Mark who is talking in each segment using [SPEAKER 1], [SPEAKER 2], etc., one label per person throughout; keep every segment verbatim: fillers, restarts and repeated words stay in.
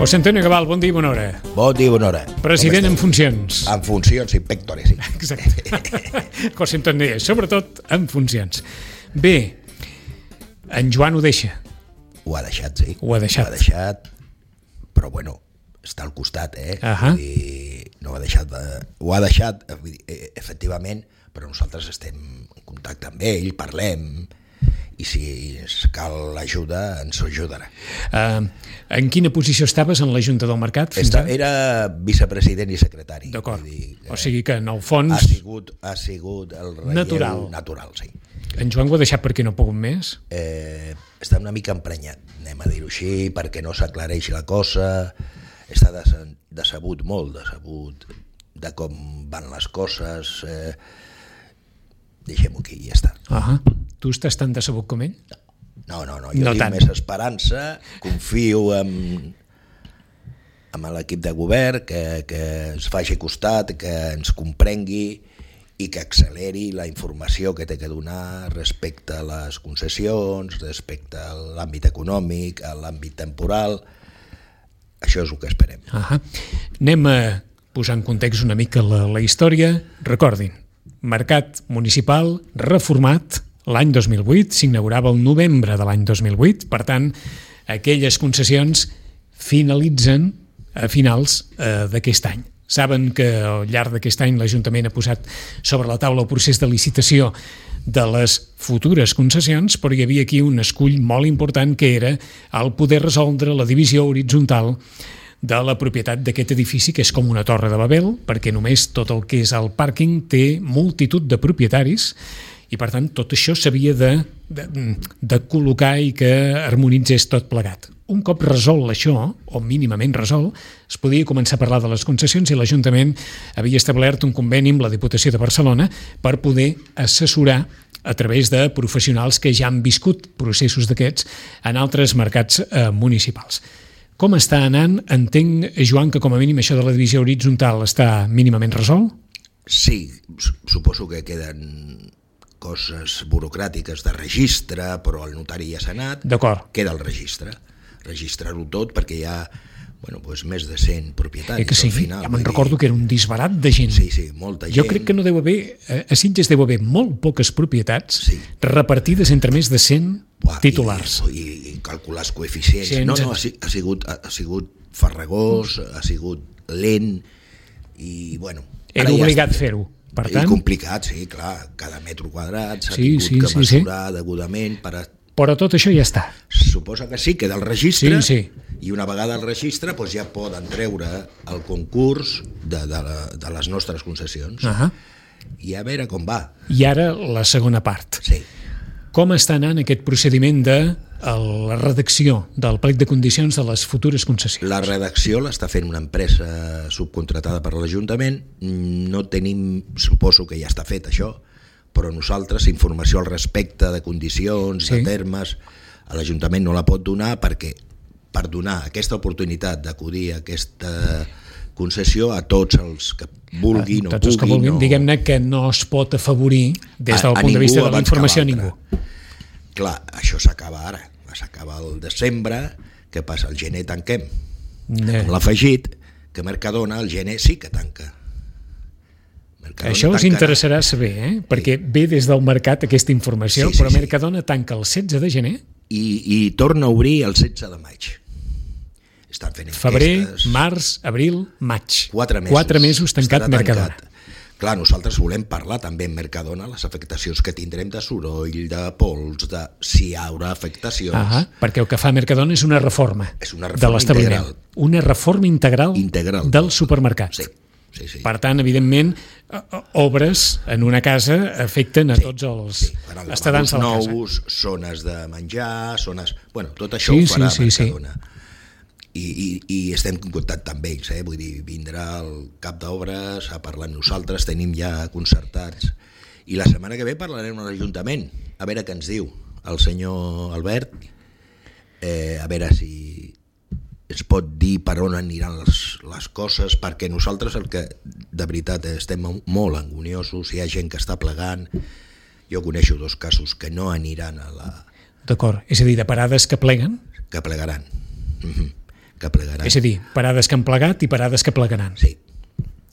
[SPEAKER 1] José Antonio Cabal, bon dia i bona hora.
[SPEAKER 2] Bon dia i bona hora.
[SPEAKER 1] President en funcions.
[SPEAKER 2] En funcions, in pectore, sí.
[SPEAKER 1] Exacte. José Antonio, sobretot en funcions. Bé, en Joan ho deixa.
[SPEAKER 2] Ho ha deixat, sí.
[SPEAKER 1] Ho ha deixat.
[SPEAKER 2] Ho ha deixat, però bueno, està al costat, eh?
[SPEAKER 1] Ahà.
[SPEAKER 2] Vull dir, no ho ha deixat, de... ho ha deixat, vull dir, efectivament, però nosaltres estem en contacte amb ell, parlem, i si cal ajuda, ens ajudarà.
[SPEAKER 1] Uh, en quina posició estaves en la Junta del Mercat? Fins
[SPEAKER 2] Esta,
[SPEAKER 1] ara?
[SPEAKER 2] era vicepresident i secretari.
[SPEAKER 1] D'acord,
[SPEAKER 2] dir,
[SPEAKER 1] o sigui que en el fons...
[SPEAKER 2] Ha sigut, ha sigut el relleu
[SPEAKER 1] natural.
[SPEAKER 2] natural, sí.
[SPEAKER 1] En Joan ho ha deixat perquè no ha pogut més?
[SPEAKER 2] Eh, està una mica emprenyat, anem a dir-ho així, perquè no s'aclareix la cosa, està des, decebut, molt decebut de com van les coses, eh, deixem-ho aquí i ja està.
[SPEAKER 1] Uh-huh. Tu estàs tan decebut com ell?
[SPEAKER 2] No, no, no, jo
[SPEAKER 1] no
[SPEAKER 2] tinc
[SPEAKER 1] tant.
[SPEAKER 2] més esperança, confio en, en l'equip de govern, que, que ens faci costat, que ens comprengui i que acceleri la informació que té que donar respecte a les concessions, respecte a l'àmbit econòmic, a l'àmbit temporal. Això és el que esperem.
[SPEAKER 1] Uh-huh. Anem a posar en context una mica la, la història. Recordin, mercat municipal reformat l'any dos mil vuit, s'inaugurava el novembre de l'any dos mil vuit, per tant, aquelles concessions finalitzen a finals eh, d'aquest any. Saben que al llarg d'aquest any l'Ajuntament ha posat sobre la taula el procés de licitació de les futures concessions, però hi havia aquí un escull molt important que era el poder resoldre la divisió horitzontal de la propietat d'aquest edifici, que és com una torre de Babel, perquè només tot el que és el pàrquing té multitud de propietaris, i per tant tot això s'havia de, de, de col·locar i que harmonitzés tot plegat. Un cop resolt això, o mínimament resolt, es podia començar a parlar de les concessions i l'Ajuntament havia establert un conveni amb la Diputació de Barcelona per poder assessorar a través de professionals que ja han viscut processos d'aquests en altres mercats eh, municipals. Com està anant? Entenc, Joan, que com a mínim això de la divisió horitzontal està mínimament resolt?
[SPEAKER 2] Sí, suposo que queden coses burocràtiques de registre, però el notari ja s'ha anat.
[SPEAKER 1] D'acord.
[SPEAKER 2] Queda el registre. Registrar-ho tot perquè hi ha bueno, doncs més de cent propietaris.
[SPEAKER 1] Eh que sí,
[SPEAKER 2] al final,
[SPEAKER 1] ja me'n recordo que era un disbarat de gent.
[SPEAKER 2] Sí, sí, molta gent.
[SPEAKER 1] Jo crec que no deu haver, a Sitges deu haver molt poques propietats
[SPEAKER 2] sí.
[SPEAKER 1] repartides entre més de cent
[SPEAKER 2] Buah,
[SPEAKER 1] titulars.
[SPEAKER 2] I, i, i calcular els coeficients.
[SPEAKER 1] Sí,
[SPEAKER 2] no, no, ha, ha, sigut, ha, ha sigut farragós, ha sigut lent i, bueno...
[SPEAKER 1] Era obligat ja fer-ho. Per tant...
[SPEAKER 2] I complicat, sí, clar, cada metro quadrat s'ha
[SPEAKER 1] sí,
[SPEAKER 2] tingut
[SPEAKER 1] sí,
[SPEAKER 2] que
[SPEAKER 1] sí,
[SPEAKER 2] mesurar
[SPEAKER 1] sí.
[SPEAKER 2] degudament per a...
[SPEAKER 1] Però tot això ja està.
[SPEAKER 2] Suposa que sí, queda el registre,
[SPEAKER 1] sí, sí.
[SPEAKER 2] I una vegada el registre doncs ja poden treure el concurs de, de, la, de les nostres concessions.
[SPEAKER 1] Uh-huh.
[SPEAKER 2] I a veure com va.
[SPEAKER 1] I ara la segona part.
[SPEAKER 2] Sí.
[SPEAKER 1] Com està anant aquest procediment de la redacció del plec de condicions de les futures concessions?
[SPEAKER 2] La redacció l'està fent una empresa subcontratada per l'Ajuntament. No tenim, suposo que ja està fet això, però nosaltres informació al respecte de condicions, sí. de termes, a l'Ajuntament no la pot donar perquè per donar aquesta oportunitat d'acudir a aquesta concessió a tots els que vulguin
[SPEAKER 1] a,
[SPEAKER 2] o
[SPEAKER 1] tots
[SPEAKER 2] puguin.
[SPEAKER 1] Els que vulguin,
[SPEAKER 2] o...
[SPEAKER 1] diguem-ne que no es pot afavorir des del
[SPEAKER 2] a,
[SPEAKER 1] punt
[SPEAKER 2] a
[SPEAKER 1] de vista de la informació a
[SPEAKER 2] ningú.
[SPEAKER 1] ningú.
[SPEAKER 2] Clar, això s'acaba ara, s'acaba el desembre, què passa? El gener tanquem.
[SPEAKER 1] Ne.
[SPEAKER 2] Amb l'afegit que Mercadona el gener sí que tanca.
[SPEAKER 1] Mercadona això us tancarà. Interessarà saber, eh? perquè sí. ve des del mercat aquesta informació, sí, sí, però Mercadona sí. tanca el setze de gener
[SPEAKER 2] i, i torna a obrir el setze de maig. Estan fent
[SPEAKER 1] febrer,
[SPEAKER 2] enquestes.
[SPEAKER 1] març, abril, maig.
[SPEAKER 2] Quatre mesos,
[SPEAKER 1] Quatre mesos tancat Mercadona.
[SPEAKER 2] Tancat. Clar, nosaltres volem parlar també amb Mercadona les afectacions que tindrem de soroll, de pols, de si hi haurà afectacions.
[SPEAKER 1] Ah, perquè el que fa Mercadona és una reforma,
[SPEAKER 2] és una reforma
[SPEAKER 1] de l'establiment.
[SPEAKER 2] Integral.
[SPEAKER 1] Una reforma integral,
[SPEAKER 2] integral
[SPEAKER 1] del supermercat.
[SPEAKER 2] Sí, sí, sí.
[SPEAKER 1] Per tant, evidentment, obres en una casa afecten a sí, tots els sí. estadants de la casa.
[SPEAKER 2] Nous, zones de menjar, zones... Bueno, tot això
[SPEAKER 1] sí,
[SPEAKER 2] ho farà
[SPEAKER 1] sí, sí,
[SPEAKER 2] Mercadona. Sí. I, i, i estem en contacte amb ells, eh? Vull dir, vindrà el cap d'obres a parlar amb nosaltres, tenim ja concertats, i la setmana que ve parlarem amb l'Ajuntament, a veure què ens diu el senyor Albert, eh, a veure si es pot dir per on aniran les, les coses, perquè nosaltres el que de veritat estem molt angoniosos, hi ha gent que està plegant, jo coneixo dos casos que no aniran a la...
[SPEAKER 1] D'acord, és a dir, de parades que pleguen?
[SPEAKER 2] Que plegaran. Mm-hmm. que plegaran.
[SPEAKER 1] És a dir, parades que han plegat i parades que plegaran.
[SPEAKER 2] Sí.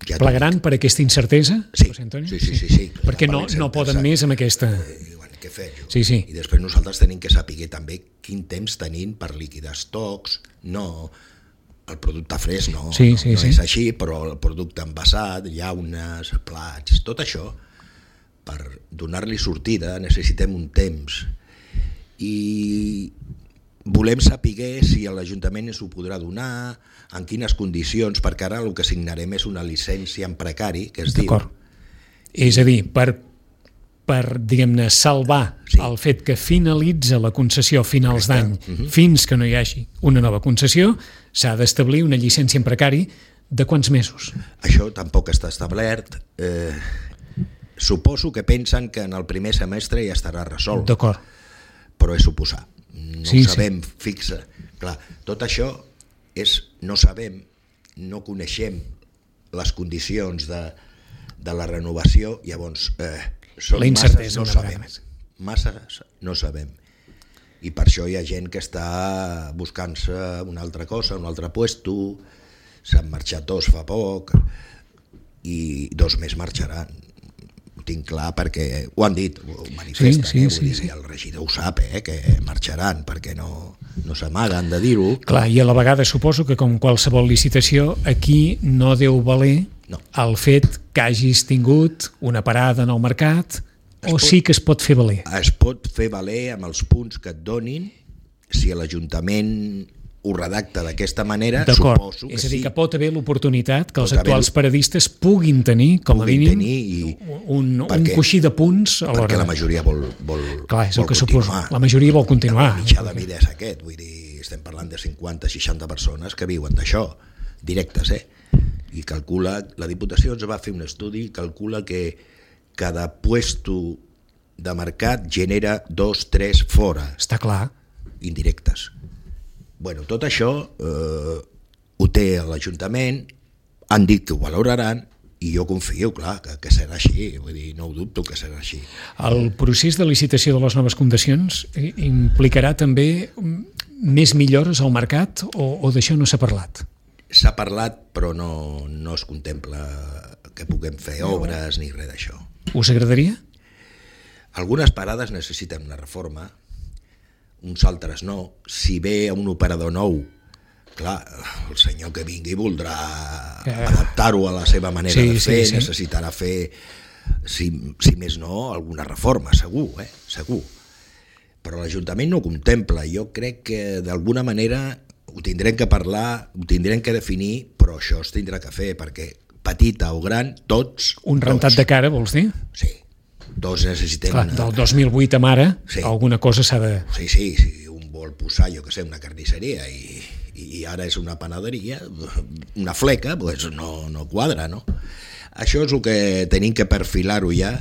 [SPEAKER 2] Ja
[SPEAKER 1] plegaran per aquesta incertesa,
[SPEAKER 2] sí.
[SPEAKER 1] José Antonio?
[SPEAKER 2] Sí, sí, sí, sí.
[SPEAKER 1] Perquè no, no poden més amb aquesta...
[SPEAKER 2] Eh, bueno, què fer? Jo?
[SPEAKER 1] Sí, sí.
[SPEAKER 2] I després nosaltres tenim que saber també quin temps tenim per liquidar estocs, no... El producte fresc no,
[SPEAKER 1] sí,
[SPEAKER 2] no,
[SPEAKER 1] sí,
[SPEAKER 2] no
[SPEAKER 1] sí.
[SPEAKER 2] és així, però el producte envasat, llaunes, plats, tot això, per donar-li sortida necessitem un temps. I volem saber si l'Ajuntament ens ho podrà donar, en quines condicions, perquè ara el que signarem és una llicència en precari, que es diu...
[SPEAKER 1] D'acord. És a dir, per, per diguem-ne, salvar sí. el fet que finalitza la concessió a finals d'any, uh-huh. fins que no hi hagi una nova concessió, s'ha d'establir una llicència en precari de quants mesos?
[SPEAKER 2] Això tampoc està establert. Eh, suposo que pensen que en el primer semestre ja estarà resolt.
[SPEAKER 1] D'acord.
[SPEAKER 2] Però és suposar. No sí, ho sabem sí. fixa. Clar, tot això és, no sabem, no coneixem les condicions de, de la renovació, llavors eh, són
[SPEAKER 1] la incertesa
[SPEAKER 2] masses no sabem. Masses no sabem. I per això hi ha gent que està buscant-se una altra cosa, un altre puesto, s'han marxat dos fa poc i dos més marxaran. Ho tinc clar perquè ho han dit, ho manifesten, sí, sí, eh? Vull sí, dir, sí. El regidor ho sap, eh? Que marxaran perquè no, no s'amaguen de dir-ho.
[SPEAKER 1] Clar, i a la vegada suposo que com qualsevol licitació aquí no deu valer no. el fet que hagis tingut una parada en el mercat o pot, sí que es pot fer valer?
[SPEAKER 2] Es pot fer valer amb els punts que et donin, si l'Ajuntament ho redacta d'aquesta manera, suposo que
[SPEAKER 1] és a dir,
[SPEAKER 2] sí.
[SPEAKER 1] que pot haver l'oportunitat que els actuals paradistes puguin tenir, com a mínim,
[SPEAKER 2] i,
[SPEAKER 1] un, un coixí de punts a l'hora.
[SPEAKER 2] Perquè la majoria vol, vol,
[SPEAKER 1] Clar, és el
[SPEAKER 2] vol
[SPEAKER 1] que
[SPEAKER 2] continuar.
[SPEAKER 1] Suposo. La majoria vol continuar.
[SPEAKER 2] El mitjà de vida és aquest, vull dir, estem parlant de cinquanta seixanta persones que viuen d'això, directes, eh? I calcula, la Diputació ens va fer un estudi, calcula que cada puesto de mercat genera dos, tres fora.
[SPEAKER 1] Està clar.
[SPEAKER 2] Indirectes. Bueno, tot això eh, ho té l'Ajuntament, han dit que ho valoraran i jo confio, clar, que, que serà així, vull dir, no ho dubto que serà així.
[SPEAKER 1] El procés de licitació de les noves condicions implicarà també més millores al mercat o, o d'això no s'ha parlat?
[SPEAKER 2] S'ha parlat, però no, no es contempla que puguem fer obres ni res d'això.
[SPEAKER 1] Us agradaria?
[SPEAKER 2] Algunes parades necessiten una reforma, uns altres no. Si ve un operador nou, clar, el senyor que vingui voldrà eh. adaptar-ho a la seva manera sí, de fer, sí, sí. necessitarà fer, si, si més no, alguna reforma, segur, eh? segur. Però l'Ajuntament no ho contempla. Jo crec que d'alguna manera ho tindrem que parlar, ho tindrem que definir, però això es tindrà que fer, perquè petita o gran, tots...
[SPEAKER 1] Un rentat
[SPEAKER 2] tots.
[SPEAKER 1] de cara, vols dir?
[SPEAKER 2] Sí. Tots necessitem...
[SPEAKER 1] Clar, del dos mil vuit a ara, sí. alguna cosa s'ha de...
[SPEAKER 2] Sí, sí, si un vol posar, jo que sé, una carnisseria i, i ara és una panaderia, una fleca, doncs no, no quadra, no? Això és el que tenim que perfilar-ho ja,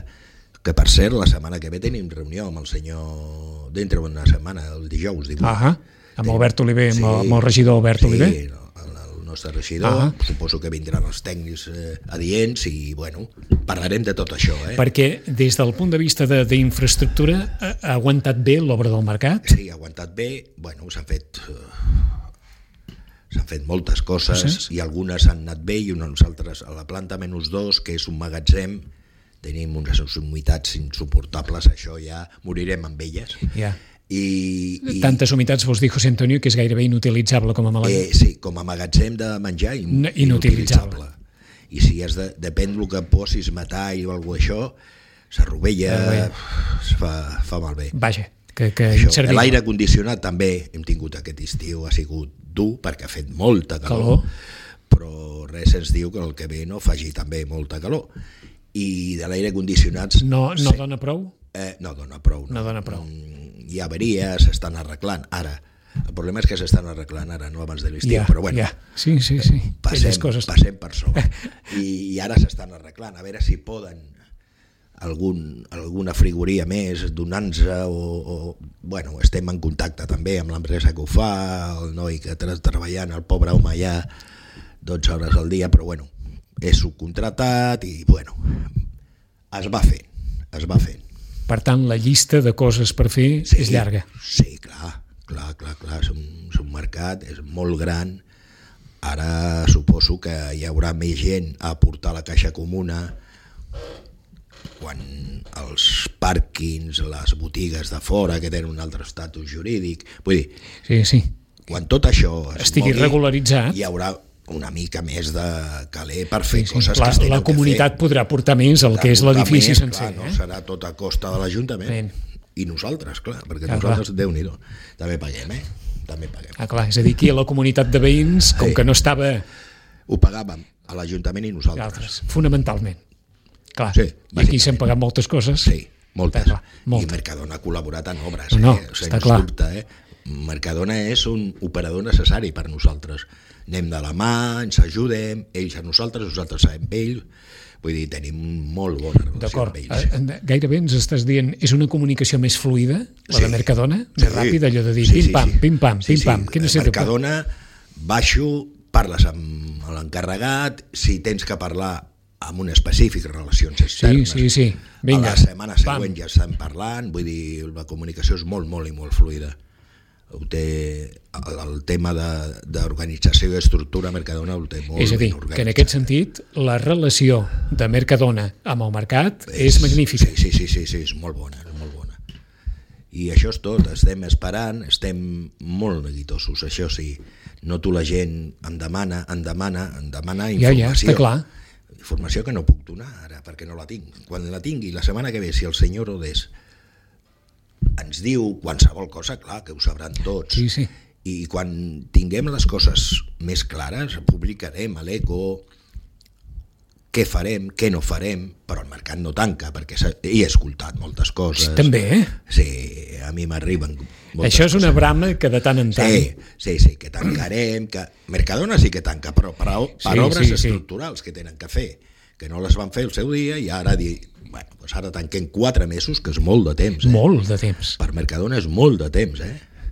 [SPEAKER 2] que per cert, la setmana que ve tenim reunió amb el senyor, dintre d'una setmana, el dijous, divuit.
[SPEAKER 1] Ah, amb Albert Oliver,
[SPEAKER 2] sí,
[SPEAKER 1] amb el regidor Albert
[SPEAKER 2] sí,
[SPEAKER 1] Oliver?
[SPEAKER 2] Sí, el nostre regidor, ah. suposo que vindran els tècnics eh, adients i, bueno, parlarem de tot això. Eh?
[SPEAKER 1] Perquè des del punt de vista d'infraestructura ha, ha aguantat bé l'obra del mercat?
[SPEAKER 2] Sí, ha aguantat bé, bueno, s'han fet... Eh, s'han fet moltes coses sí. i algunes han anat bé i unes altres a la planta menys dos, que és un magatzem, tenim unes humitats insuportables, això ja morirem amb elles.
[SPEAKER 1] Ja.
[SPEAKER 2] I, i,
[SPEAKER 1] Tantes humitats, vols dir, José Antonio, que és gairebé inutilitzable com a magatzem?
[SPEAKER 2] Eh, sí, com a magatzem de menjar in,
[SPEAKER 1] no, inutilitzable. inutilitzable.
[SPEAKER 2] I si has de, depèn del que posis, metall o alguna cosa, això, s'arrovella, es fa, fa malbé.
[SPEAKER 1] Vaja, que, que
[SPEAKER 2] inservible. L'aire condicionat també hem tingut aquest estiu, ha sigut dur perquè ha fet molta calor, calor, però res ens diu que el que ve no faci també molta calor. I de l'aire condicionat...
[SPEAKER 1] No, no sí. dona prou?
[SPEAKER 2] Eh, no dona prou. No,
[SPEAKER 1] no dona prou.
[SPEAKER 2] Hi ha avaries, s'estan arreglant ara. El problema és que s'estan arreglant ara, no abans de l'estiu,
[SPEAKER 1] ja,
[SPEAKER 2] però bueno,
[SPEAKER 1] ja. sí, sí, sí.
[SPEAKER 2] Passem, passem per sobre. I, I ara s'estan arreglant, a veure si poden algun, alguna frigoria més donant-nos o, o... Bueno, estem en contacte també amb l'empresa que ho fa, el noi que està treballant, el pobre home allà dotze hores al dia, però bueno, és subcontratat i bueno, es va fent, es va fent.
[SPEAKER 1] Per tant, la llista de coses per fer
[SPEAKER 2] sí,
[SPEAKER 1] és llarga.
[SPEAKER 2] Sí, clar, clar, clar, clar. És un, és un mercat, és molt gran Ara suposo que hi haurà més gent a aportar a la caixa comuna quan els pàrquings, les botigues de fora que tenen un altre estatus jurídic, vull dir,
[SPEAKER 1] sí, sí.
[SPEAKER 2] quan tot això es
[SPEAKER 1] estigui
[SPEAKER 2] mogui,
[SPEAKER 1] regularitzat,
[SPEAKER 2] hi haurà una mica més de caler per fer sí, sí. coses
[SPEAKER 1] la,
[SPEAKER 2] que es tenen
[SPEAKER 1] la comunitat
[SPEAKER 2] que fer.
[SPEAKER 1] podrà portar més el que és l'edifici
[SPEAKER 2] més,
[SPEAKER 1] sencer.
[SPEAKER 2] Clar, no
[SPEAKER 1] eh?
[SPEAKER 2] serà tot a costa de l'Ajuntament. Ben. I nosaltres, clar, perquè clar, nosaltres, clar. Déu-n'hi-do, també paguem, eh? També paguem.
[SPEAKER 1] Ah, clar, és a dir, aquí a la comunitat de veïns, com sí. que no estava...
[SPEAKER 2] Ho pagàvem a l'Ajuntament i nosaltres.
[SPEAKER 1] Altres, fonamentalment. Clar,
[SPEAKER 2] sí,
[SPEAKER 1] i aquí s'han pagat moltes coses.
[SPEAKER 2] Sí, moltes.
[SPEAKER 1] Clar, moltes.
[SPEAKER 2] I Mercadona ha col·laborat en obres,
[SPEAKER 1] no, no,
[SPEAKER 2] eh? O sigui,
[SPEAKER 1] està clar.
[SPEAKER 2] Dubte, eh? Mercadona és un operador necessari per nosaltres. Anem de la mà, ens ajudem, ells a nosaltres, nosaltres sabem ells, vull dir, tenim molt bona relació amb ells.
[SPEAKER 1] D'acord, gairebé ens estàs dient, és una comunicació més fluida, la
[SPEAKER 2] sí,
[SPEAKER 1] de Mercadona,
[SPEAKER 2] sí,
[SPEAKER 1] més ràpida, allò de dir
[SPEAKER 2] sí,
[SPEAKER 1] pim-pam,
[SPEAKER 2] sí,
[SPEAKER 1] pim-pam,
[SPEAKER 2] sí,
[SPEAKER 1] pim-pam.
[SPEAKER 2] Sí, sí. Mercadona, baixo, parles amb l'encarregat, si tens que parlar amb un específic, relacions externes,
[SPEAKER 1] sí, sí, sí. Vinga,
[SPEAKER 2] a la setmana següent pam. Ja estan parlant, vull dir, la comunicació és molt, molt i molt fluida. Ho té, el tema d'organització i estructura Mercadona ho té molt
[SPEAKER 1] és a dir, que en aquest sentit la relació de Mercadona amb el mercat és, és magnífica.
[SPEAKER 2] Sí, sí, sí, sí, és molt bona, és molt bona. I això és tot, estem esperant, estem molt neguitosos, això sí, noto la gent em demana, em demana, em demana informació.
[SPEAKER 1] Ja, ja, està clar.
[SPEAKER 2] Informació que no puc donar ara, perquè no la tinc. Quan la tingui, la setmana que ve, si el senyor Rodés ens diu qualsevol cosa, clar, que ho sabran tots.
[SPEAKER 1] Sí, sí.
[SPEAKER 2] I quan tinguem les coses més clares, publicarem a l'Eco què farem, què no farem, però el mercat no tanca, perquè he escoltat moltes coses.
[SPEAKER 1] També, eh?
[SPEAKER 2] Sí, a mi m'arriben moltes
[SPEAKER 1] Això és
[SPEAKER 2] coses.
[SPEAKER 1] Una brama que de tant en tant...
[SPEAKER 2] Sí, sí, sí, que tancarem, que Mercadona sí que tanca, però per, per sí, obres sí, estructurals sí. que tenen que fer, que no les van fer el seu dia i ara dir... Bueno, doncs ara tanquem quatre mesos, que és molt de temps. Eh?
[SPEAKER 1] Molt de temps.
[SPEAKER 2] Per Mercadona és molt de temps, eh?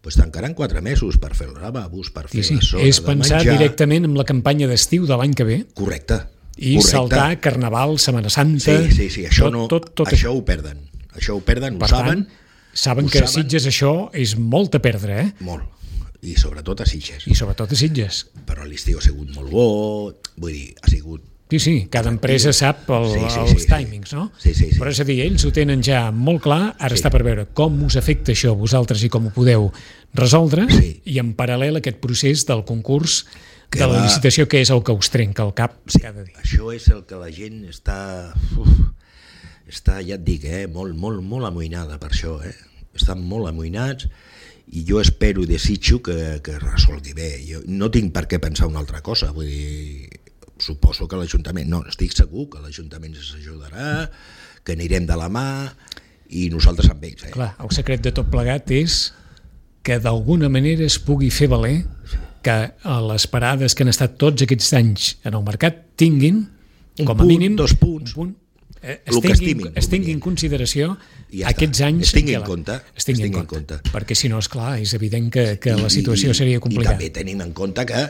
[SPEAKER 2] Doncs tancaran quatre mesos per fer els lavabos, per fer sí, sí. la zona
[SPEAKER 1] és pensar
[SPEAKER 2] de menjar.
[SPEAKER 1] Directament en la campanya d'estiu de l'any que ve.
[SPEAKER 2] Correcte.
[SPEAKER 1] I
[SPEAKER 2] correcte.
[SPEAKER 1] saltar Carnaval, Setmana Santa...
[SPEAKER 2] Sí, sí, sí, això,
[SPEAKER 1] tot,
[SPEAKER 2] no,
[SPEAKER 1] tot, tot
[SPEAKER 2] això ho perden. Això ho perden,
[SPEAKER 1] per
[SPEAKER 2] ho saben.
[SPEAKER 1] Tant, saben que a Sitges això és molt a perdre, eh?
[SPEAKER 2] Molt. I sobretot a Sitges.
[SPEAKER 1] I sobretot a Sitges.
[SPEAKER 2] Però l'estiu ha sigut molt bo, vull dir, ha sigut...
[SPEAKER 1] Sí, sí, cada empresa sap el, sí, sí, els sí, timings, no?
[SPEAKER 2] Sí, sí, sí.
[SPEAKER 1] Però és a dir, ells ho tenen ja molt clar, ara sí. està per veure com us afecta això a vosaltres i com ho podeu resoldre, sí. i en paral·lel aquest procés del concurs, que de la va... licitació, que és el que us trenca el cap sí, cada dia.
[SPEAKER 2] Això és el que la gent està, uf, està ja et dic, eh, molt, molt, molt amoïnada per això, eh? Estan molt amoïnats i jo espero i desitjo que, que resolgui bé. Jo no tinc per què pensar una altra cosa, vull dir... Suposo que l'Ajuntament, no, estic segur que l'Ajuntament ens ajudarà, que anirem de la mà i nosaltres amb ells. Eh?
[SPEAKER 1] Clar, el secret de tot plegat és que d'alguna manera es pugui fer valer que a les parades que han estat tots aquests anys en el mercat tinguin,
[SPEAKER 2] un
[SPEAKER 1] com a
[SPEAKER 2] punt,
[SPEAKER 1] mínim,
[SPEAKER 2] dos punts,
[SPEAKER 1] un punt, eh,
[SPEAKER 2] es,
[SPEAKER 1] tinguin,
[SPEAKER 2] estimin,
[SPEAKER 1] es tinguin en consideració ja aquests
[SPEAKER 2] està.
[SPEAKER 1] anys...
[SPEAKER 2] Es tinguin en compte.
[SPEAKER 1] Es tinguin en compte. compte. Perquè si no, és clar, és evident que, que I, la situació
[SPEAKER 2] i,
[SPEAKER 1] seria complicada.
[SPEAKER 2] I també tenim en compte que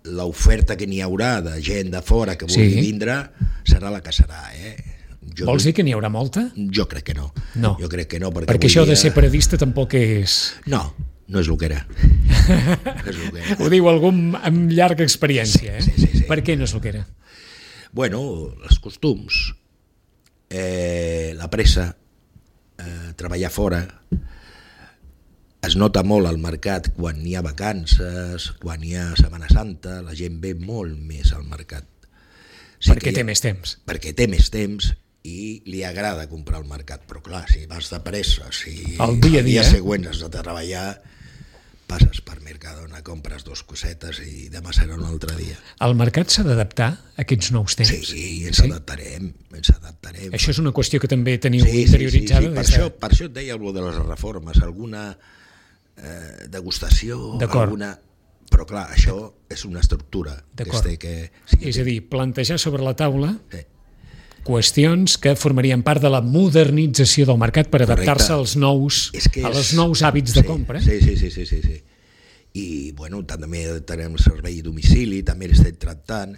[SPEAKER 2] l'oferta que n'hi haurà de gent de fora que vulgui sí. vindre serà la que serà, eh? Jo
[SPEAKER 1] Vols dir que n'hi haurà molta?
[SPEAKER 2] Jo crec que no.
[SPEAKER 1] No.
[SPEAKER 2] Jo crec que no, perquè,
[SPEAKER 1] perquè això
[SPEAKER 2] dia...
[SPEAKER 1] de ser paradista tampoc és...
[SPEAKER 2] No, no és el que era. No és el que era.
[SPEAKER 1] Ho diu algú amb llarga experiència, eh?
[SPEAKER 2] Sí, sí, sí.
[SPEAKER 1] Per què no és el que era?
[SPEAKER 2] Bueno, els costums, eh, la pressa, eh, treballar fora... Es nota molt al mercat quan hi ha vacances, quan hi ha Setmana Santa, la gent ve molt més al mercat.
[SPEAKER 1] Sí perquè té ha, més temps.
[SPEAKER 2] Perquè té més temps i li agrada comprar al mercat. Però clar, si vas de pressa, si
[SPEAKER 1] el dia,
[SPEAKER 2] el
[SPEAKER 1] dia,
[SPEAKER 2] dia següent has de treballar, passes per Mercadona, compres dos cosetes i demà serà un altre dia.
[SPEAKER 1] El mercat s'ha d'adaptar a aquests nous temps?
[SPEAKER 2] Sí, sí, ens sí? adaptarem, ens adaptarem.
[SPEAKER 1] Això és una qüestió que també teniu
[SPEAKER 2] sí,
[SPEAKER 1] interioritzada?
[SPEAKER 2] Sí, sí, sí. Per, això, per això et deia algú de les reformes, alguna... Eh, degustació, alguna... Però clar, això és una estructura que es té que...
[SPEAKER 1] Sí, és a dir, plantejar sobre la taula sí. qüestions que formarien part de la modernització del mercat per adaptar-se als nous, és que és... als nous hàbits de
[SPEAKER 2] sí,
[SPEAKER 1] compra.
[SPEAKER 2] Sí, sí, sí, sí, sí, sí. I bueno, també tenim el servei a domicili, també l'estem tractant.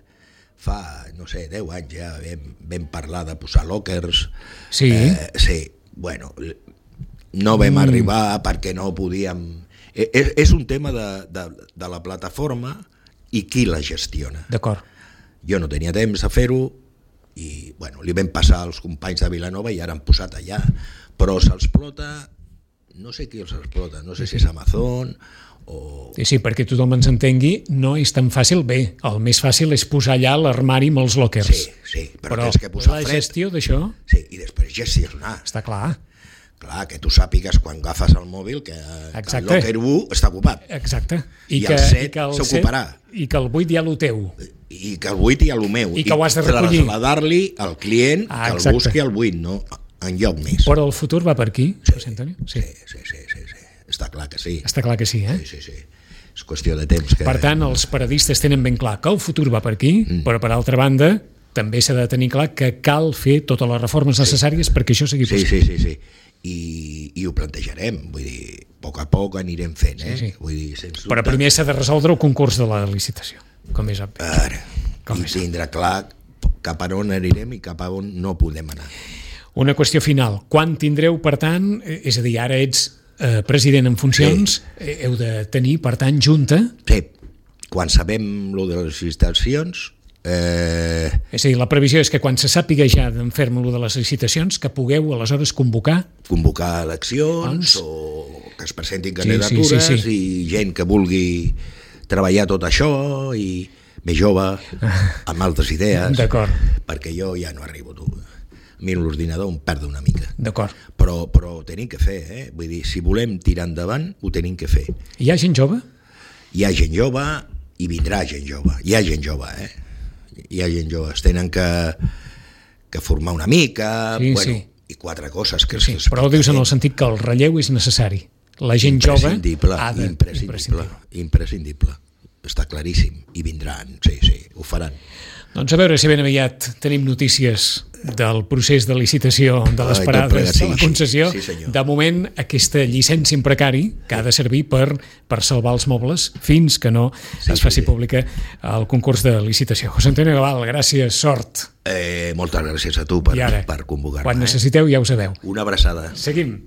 [SPEAKER 2] Fa, no sé, deu anys ja vam, vam parlar de posar lockers.
[SPEAKER 1] Sí.
[SPEAKER 2] Eh, sí, bueno... No vam mm. arribar perquè no podíem... És, és un tema de, de, de la plataforma i qui la gestiona.
[SPEAKER 1] D'acord.
[SPEAKER 2] Jo no tenia temps de fer-ho i bueno, li vam passar als companys de Vilanova i ara han posat allà, però s'explota, no sé qui els explota, no sé si és Amazon o...
[SPEAKER 1] Sí, sí, perquè tothom ens entengui, no és tan fàcil. Bé, el més fàcil és posar allà l'armari amb els lockers.
[SPEAKER 2] Sí, sí, però, però tens que posar
[SPEAKER 1] la
[SPEAKER 2] fred.
[SPEAKER 1] gestió d'això...
[SPEAKER 2] Sí, i després gestionar.
[SPEAKER 1] Està clar.
[SPEAKER 2] Clar, que tu sàpigues quan agafes el mòbil que, que el locker u està ocupat.
[SPEAKER 1] Exacte.
[SPEAKER 2] I, I
[SPEAKER 1] que,
[SPEAKER 2] el set
[SPEAKER 1] i que el
[SPEAKER 2] s'ocuparà.
[SPEAKER 1] I que el vuit hi ha el teu.
[SPEAKER 2] I que el vuit hi ha el meu.
[SPEAKER 1] I que ho has de recollir.
[SPEAKER 2] I traslladar-li al client
[SPEAKER 1] ah,
[SPEAKER 2] que el busqui al vuit, no en lloc més.
[SPEAKER 1] Però el futur va per aquí,
[SPEAKER 2] sí,
[SPEAKER 1] José Antonio?
[SPEAKER 2] Sí. Sí, sí, sí, sí, sí. Està clar que sí.
[SPEAKER 1] Està clar que sí, eh?
[SPEAKER 2] Sí, sí, sí. És qüestió de temps. Que...
[SPEAKER 1] Per tant, els paradistes tenen ben clar que el futur va per aquí, mm. però per altra banda també s'ha de tenir clar que cal fer totes les reformes necessàries sí. perquè això sigui possible.
[SPEAKER 2] Sí, sí, sí, sí. I, i ho plantejarem, vull dir, a poc a poc anirem fent, eh?
[SPEAKER 1] Sí, sí.
[SPEAKER 2] Vull dir, sens dubte.
[SPEAKER 1] Però primer s'ha de resoldre el concurs de la licitació, com és obvi.
[SPEAKER 2] Ara, com i tindrà clar cap a on anirem i cap a on no podem anar.
[SPEAKER 1] Una qüestió final. Quan tindreu, per tant, és a dir, ara ets eh, president en funcions, sí. heu de tenir, per tant, junta...
[SPEAKER 2] Sí, quan sabem lo de les licitacions... Eh...
[SPEAKER 1] És a dir, la previsió és que quan se sàpiga ja d'en ferm lo de les licitacions, que pugueu aleshores convocar...
[SPEAKER 2] Convocar eleccionsOns... o que es presentin candidatures
[SPEAKER 1] sí, sí, sí, sí.
[SPEAKER 2] i gent que vulgui treballar tot això i més jove, amb altres idees.
[SPEAKER 1] D'acord.
[SPEAKER 2] Perquè jo ja no arribo, tu. A mi l'ordinador em perda una mica.
[SPEAKER 1] D'acord.
[SPEAKER 2] Però, però ho tenim que fer, eh? Vull dir, si volem tirar endavant, ho tenim que fer.
[SPEAKER 1] Hi ha gent jove?
[SPEAKER 2] Hi ha gent jove i vindrà gent jove. Hi ha gent jove, eh? Hi ha gent jove. Es tenen que, que formar una mica,
[SPEAKER 1] sí,
[SPEAKER 2] bueno,
[SPEAKER 1] sí.
[SPEAKER 2] i quatre coses que...
[SPEAKER 1] Sí, però ho dius en el sentit que el relleu és necessari. La gent jove ha de...
[SPEAKER 2] Imprescindible, imprescindible, imprescindible. Està claríssim. I vindran, sí, sí, ho faran.
[SPEAKER 1] Doncs a veure si ben aviat tenim notícies del procés de licitació de les parades de la concessió.
[SPEAKER 2] Sí,
[SPEAKER 1] de moment, aquesta llicència en precari que ha de servir per, per salvar els mobles fins que no sí, es faci sí, pública el concurs de licitació. José Antonio Gaval, gràcies, sort.
[SPEAKER 2] Eh, moltes gràcies a tu per,
[SPEAKER 1] ara,
[SPEAKER 2] per convocar-me.
[SPEAKER 1] Quan necessiteu ja ho sabeu.
[SPEAKER 2] Una abraçada.
[SPEAKER 1] Seguim.